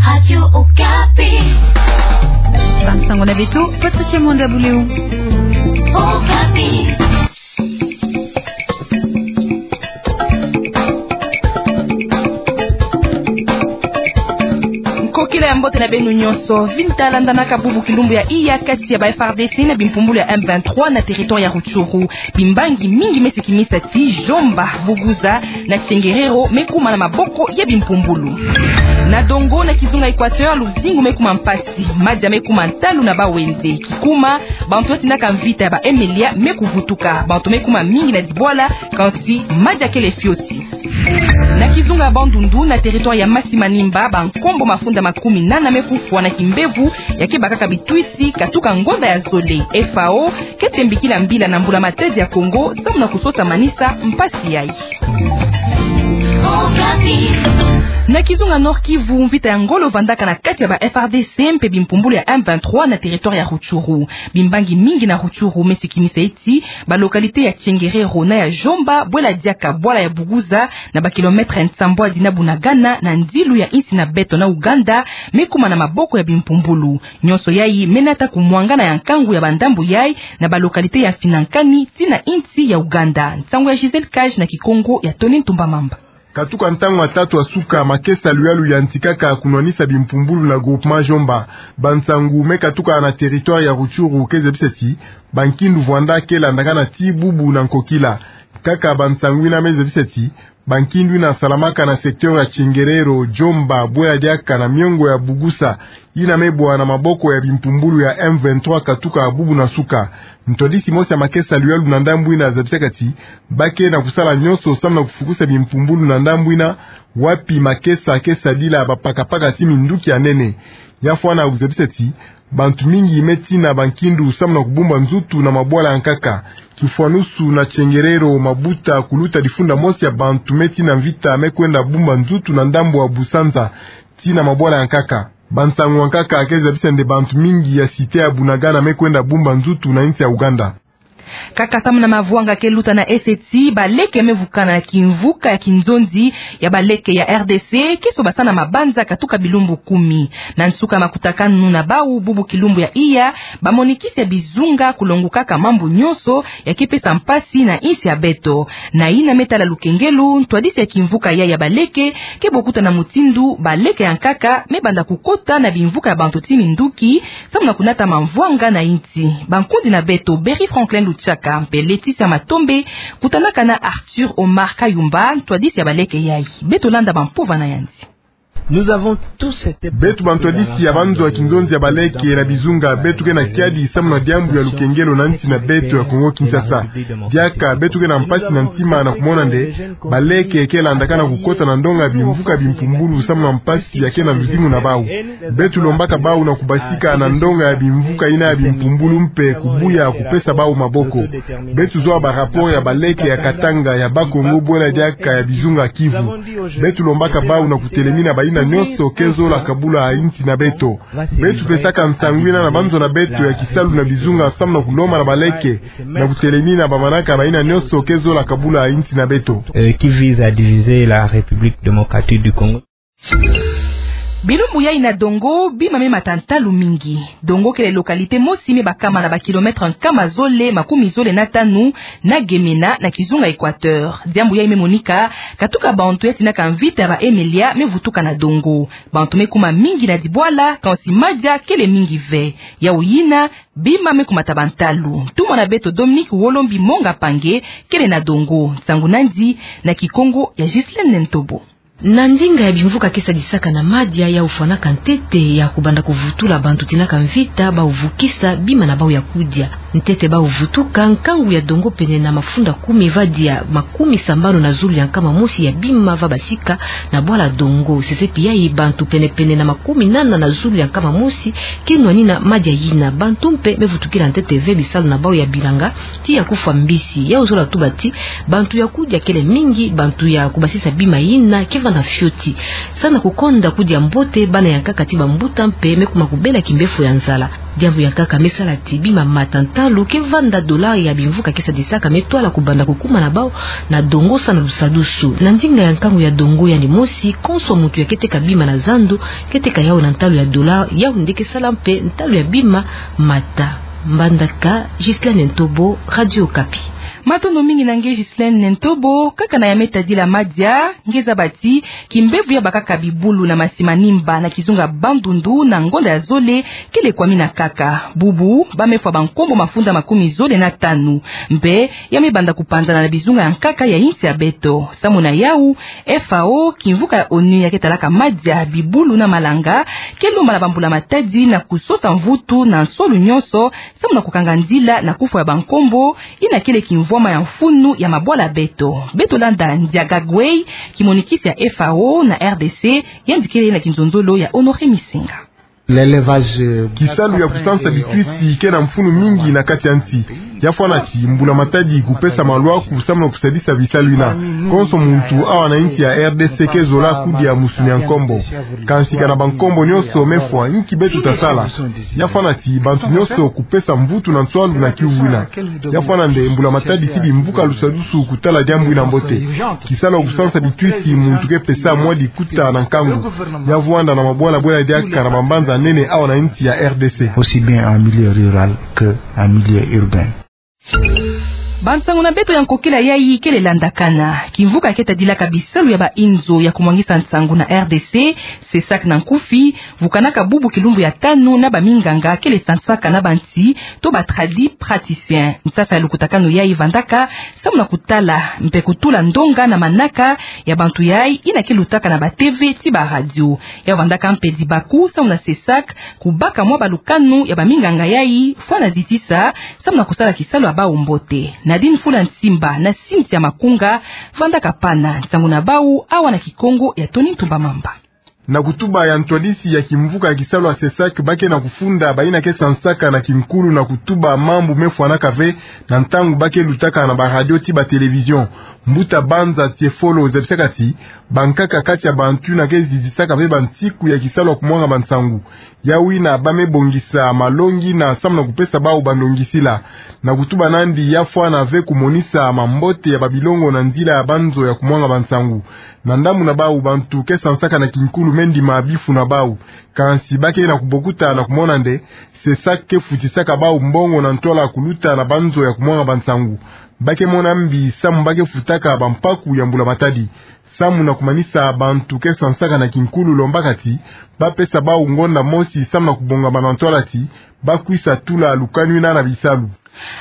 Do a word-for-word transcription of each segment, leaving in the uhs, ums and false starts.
Radio Okapi. Bamsango na beto, Patricia Mwanda Buleu. Okapi. Nkokila ya mbote na beno nyonso. Vita landanaka bubu kilumbu ya iya kati ya ba F A R D C na bimpumbulu ya M vingt-trois na territoire ya Rutshuru. Bimbangi mingi me sikimisa ti Djomba, Buguza na Tchenguerero me kuma na maboko ya bimpumbulu. Na Dongo na kizunga Equateur, luzingu me kuma mpasi, madia me kuma ntalu na bawenze. Kikuma, bantu ya tindaka mvita ya ba Emelia me kuvutuka, bantu me kuma mingi na dibwala, kansi madia kele fioti. Na kizunga Bandundu, na territoire ya Masi-Manimba, bankombo mafunda makumi nana me kufwa na kimbevu ya kebakaka bitwisi katuka ngonda ya zole. F A O ke tembikila mbila na mbula-matadi ya Kongo, samu na kusosa manisa mpasi yayi. Na kizunga Nord-Kivu, mvita ya ngolo vandaka na kati ya ba F A R D C mpe bimpumbulu ya M vingt-trois na territoire ya Rutshuru. Bimbangi mingi na Rutshuru me sikimisa ti ba localité ya Tchenguerero na ya Djomba, bwela diaka bwala ya Buguza, na ba kilomètre nsambwadi na Bunagana, na ndilu ya insi na beto na Ouganda, me kuma na maboko ya bimpumbulu. Nyonso yayi me nata kumwangana ya nkangu ya bandambu yayi na ba localité ya Finankani, tii na insi ya Ouganda. Nsangu ya Gisèle Cage na Kikongo ya Tony Ntumba Mamba. Katuka ntangu ya tatu ya suka, makesa luyalu yantikaka kunwanisa bimpumbulu na groupement Djomba. Bansangu me katuka na territoire ya Rutshuru ke zabisa ti bankindu vwanda ke landakana ti bubu na nkokila. Kaka bansangu yina me zabisa ti bankindu yina salamaka na secteur ya Tchenguerero, Djomba, bwela diaka na miongo ya Buguza, yina me bwa na maboko ya bimpumbulu ya M vingt-trois katuka bubu na suka. Ntwadisi mosi ya makesa luyalu na ndambu yina zabisaka ti ba ke na kusala nyonso samu na kufukusa bimpumbulu na ndambu yina, wapi makesa ke sadila bapakapaka ti minduki ya nene. Ya fwana kuzabisa ti bantu mingi me tina bankindu samu na kubumba nzutu na mabwala ya nkaka. Kifwanusu na Tchenguerero, mabuta kuluta difunda mosi ya bantu me tina mvita me kwenda bumba nzutu na ndambu ya Busanza, tii na mabwala ya nkaka. Bansangu ya nkaka ke zabisa nde bantu mingi ya cité ya Bunagana me kwenda bumba nzutu na insi ya Ouganda. Kaka samu na mavwanga ke luta na ese ti baleke me vukana na kimvuka ya kinzonzi ya baleke ya R D C, ke sobasana mabanza katuka bilumbu kumi. Na nsuka makutakanu na bawu bubu kilumbu ya iya, bamonikisi ya bizunga kulongukaka mambu nyonso ya ke pesa mpasi na insi ya beto. Na yina me tala lukengelo, ntwadisi ya kimvuka ya ya baleke ke bokuta na mutindu baleke ya nkaka me banda kukota na bimvuka ya bantu ti minduki, samu na kunata mavwanga na insi. Bankundi na beto Berry Franklin Luchaka mpe Laetitia Matombe kutanaka na Arthur Omar Kayumba, ntwadisi ya baleke yayi. Beto landa bampova na yandi. Beto bantwadisi ya banzo ya kinzonzi ya baleke na bizunga, beto ke na kiadi samu na diambu ya lukengelo na nsi na beto ya Kongo Kinshasa. Diaka beto ke na mpasi na ntima na kumona nde baleke ke landakana kukota na ndonga ya bimvuka bimpumbulu samu na mpasi ya ke na luzingu na bawu. Beto lombaka bawu na kubasika na ndonga ya bimvuka yina ya bimpumbulu mpe kubuya kupesa bawu maboko. Beto zola ba rapport ya baleke ya Katanga, ya Bas-Congo, bwela diaka ya bizunga Kivu. Beto lombaka bawu na kutelemina bayina nyonso ke zola kabula insi na beto. Beto pesaka nsangu yina na banzo na beto ya kisalu na bizunga samu na kulomba na baleke na kutelemina bamanaka bayina nyonso ke zola kabula insi na beto. Euh, qui vise à diviser la République démocratique du Congo. Bilumbu yayi na Dongo, bima me mata ntalu mingi. Dongo kele localité mosi me bakama na ba kilomètre nkama zole makumi zole na tanu na Gemena na kizunga Equateur. Diambu yayi me monika katuka bantu ya tinaka mvita ya ba Emelia me vutuka na Dongo. Bantu me kuma mingi na dibwala, kansi madia kele mingi ve. Yawu yina, bima me kumata bantalu. Ntumwa na beto Dominique Wolombi Monga Pange kele na Dongo. Nsangu na yandi na Kikongo ya Ghislaine Ntobo. Na ndinga ya bimvuka ke sadisaka na madia, yawu fwanaka ntete ya kubanda kuvutula bantu tinaka mvita, bawu vukisa bima na bawu ya kudia. Ntete bawu vutuka, nkangu ya Dongo pene na mafunda kumi va dia makumi sambanu na zulu ya nkama mosi ya bima va basika na bwala Dongo. Sesepi yayi, bantu penepene na makumi nana na zulu ya nkama mosi ke nwanina madia yina. Bantu mpe me vutukila ntete ve bisalu na bawu ya bilanga, tii ya kufwa mbisi. Yawu zola tuba ti bantu ya kudia kele mingi, bantu ya kubasisa bima yina ke na fioti. Samu na kukonda kudia mbote bana ya nkaka ti bambuta mpe me kuma kubela kimbefo ya nzala. Diambu ya nkaka me sala ti bima mata ntalu ke vanda dollar ya bimvuka ke sadisaka me twala kubanda kukuma na bau na dongo samu na lusadusu. Na ndinga ya nkangu ya dongo yandi mosi, konso muntu ya ke teka bima na zando ke teka yau na ntalu ya dollar, yau nde ke sala mpe ntalu ya bima mata. Mbandaka, Ghislaine Ntobo, Radio Okapi. Matondo mingi na nge Ghislaine Ntobo. Kaka na ya me tadila madia, nge zaba ti kimbevo ya bakaka bibulu na masi manimba na kizunga Bandundu na ngonda ya zole kele kwamina kaka. Bubu, ba me fwa bankombo mafunda makumi zole na tanu. Mpe, ya me banda kupanzana na bizunga ya nkaka ya insi ya beto. Samu na yau, F A O, kimvuka ya onu ya ke talaka madia, bibulu na malanga, ke lomba na bambula-matadi na kusosa mvutu na nsolu nyonso, samu na kukanga nzila na kufwa ya bankombo, yina kele kimvwama ya mfunu ya mabwala beto. Beto landa Ndiaga Gueye, kimonikisi ya F A O na R D C, yandi kele na kinzonzolo ya Honoré Misinga. L'élevage, euh, kisalu ya kusansa bitwisi ke na mfunu mingi na kati ya nsi. Ya fwana ti mbula-matadi kupesa malwaku samu na kusadisa bisalu yina. Konso muntu awa na insi ya R D C ke zola kudia musuni ya nkombo. Kansi ka na bankombo nyonso me fwa, inki beto ta sala? Ya fwana ti bantu nyonso kupesa mvutu na nswalu na kiuvu yina. Ya fwana nde mbula-matadi ti bimvuka lusadusu kutala diambu yina mbote. Kisalu ya kusansa bitwisi muntu ke pesa mwa dikuta na nkangu. Ya vwanda na mabwala bwela diaka na bambanza nene awa na insi ya R D C. Aussi bien en milieu rural que en milieu urbain. Bansangu na beto ya nkokila yayi kele landakana. Kimvuka ke tadilaka bisalu ya bainzo ya kumwangisa nsangu na R D C, CESAC na nkufi, vukanaka bubu kilumbu ya tanu na baminganga kele sansaka na bansi, to ba tradipraticiens. Nsasa ya lukutakanu yayi vandaka samu na kutala mpe kutula ndonga na manaka ya bantu yayi yina ke lutaka na ba T V ti ba radio. Ya vandaka mpe dibaku samu na CESAC kubaka mwa balukanu ya baminganga yayi fwana zitisa samu na kusala kisalu ya bau mbote. Nadine Fula Nsimba na Cynthia Makunga vandaka pana nsangu na bau awa na Kikongo ya Tony Ntumba Mamba. Na kutuba ya ntwadisi ya kimvuka ya kisalu ya CESAC, ba ke na kufunda bayina ke sansaka na kinkulu na kutuba mambu me fwanaka ve na ntangu ba ke lutaka na ba radio ti ba télévision. Mbuta Banza Tiefolo zabisaka ti bankaka kati ya bantu yina ke zizisaka ve bansiku ya kisalu ya kumwanga bansangu. Yawina ba me bongisa malongi yina samu na kupesa bau bandongisila. Na kutuba na yandi, ya fwana ve kumonisa mambote ya babilongo na nzila ya banzo ya kumwanga bansangu. Na ndambu na bau, bantu ke sansaka na kinkulu me ndima bifu na bau. Kansi ba ke na kubokuta na kumona nde CESAC ke futisaka bau mbongo na ntwala kuluta na banzo ya kumwanga bansangu. Ba ke mona mbi samu ba ke futaka bampaku ya mbula-matadi. Samu na kumanisa, bantu ke sansaka na kinkulu, lombaka ti ba pesa bau ngonda mosi samu na kubongama na ntwala ti ba kwisa tula lukanu yina na bisalu.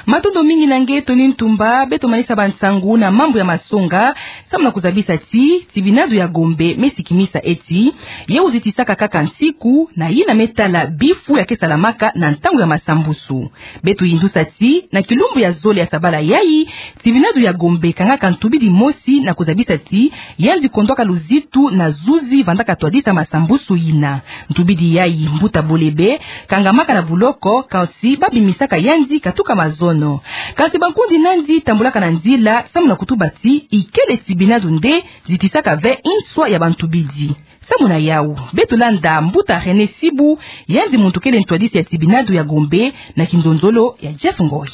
Matondo mingi na nge Tony Ntumba. Beto manisa bansangu na mambu ya masonga samu na kuzabisa ti tibinadu ya Gombe me sikimisa ti ye uzitisaka kaka nsiku na yina me tala bifu ya ke salamaka na ntangu ya masambusu. Beto yindusa ti na kilumbu ya zole ya sabala yayi, tibinadu ya Gombe kangaka ntubidi mosi na kuzabisa ti yandi kondwaka luzitu na zuzi vandaka twadisa masambusu yina. Ntubidi yayi, mbuta Bolebe kangamaka na buloko, kansi ba bimisaka yandi katuka mazono. Kansi bankundi na yandi tambulaka na nzila samu na kutuba ti ikele tibinadu nde zitisaka ve nswa ya bantubidi. Samu na yau, beto landa mbuta René Sibu, yandi muntu kele ntwadisi ya tibinadu ya Gombe na kinzonzolo ya Jeff Ngoy.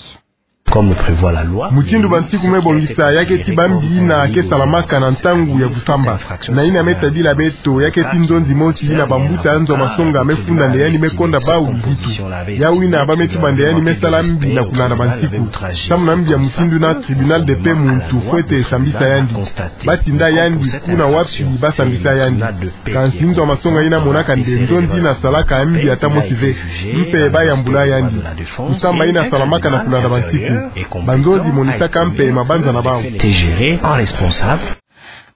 Comme le prévoit la loi, mutindu bansiku me bongisa, ya ke tiba mbi yina ke salamaka na ntangu ya kusamba. Na yina me tadila beto, ya ke ti nzonzi mosi yina bambuta ya nzo ya masonga me funda nde yandi me konda bau luzitu. Yawina ba me tuba nde yandi me sala mbi na kulanda bansiku. Samu na mbi ya mutindu yina, tribunal de paix muntu fwete sambisa yandi. Ba tinda yandi kuna wapi ba sambisa yandi. Kansi nzo ya masonga yina monaka nde nzonzi yina salaka mbi ata mosi ve. Mpe ba yambula yandi. Kusamba yina salamaka na kulanda bansiku. Banzonzi monisaka mpe mabanza na bau. T'es géré par responsable.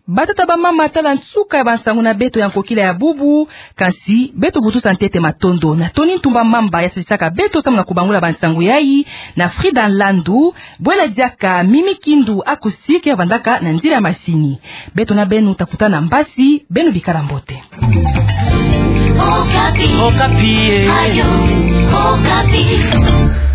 Batata, bamama, tala nsuka ya bansangu na beto ya nkokila ya bubu. Kansi beto butusa ntete matondo na Tony Ntumba Mamba ya sadisaka beto samu na kubangula bansangu yayi, na Frida Nlandu, bwela diaka Mimi Kindu Acoustique ya vandaka na nzila ya masini. Beto na beno ta kutana mbasi, beno bikala mbote. Okapi. Okapi, eh. Radio Okapi.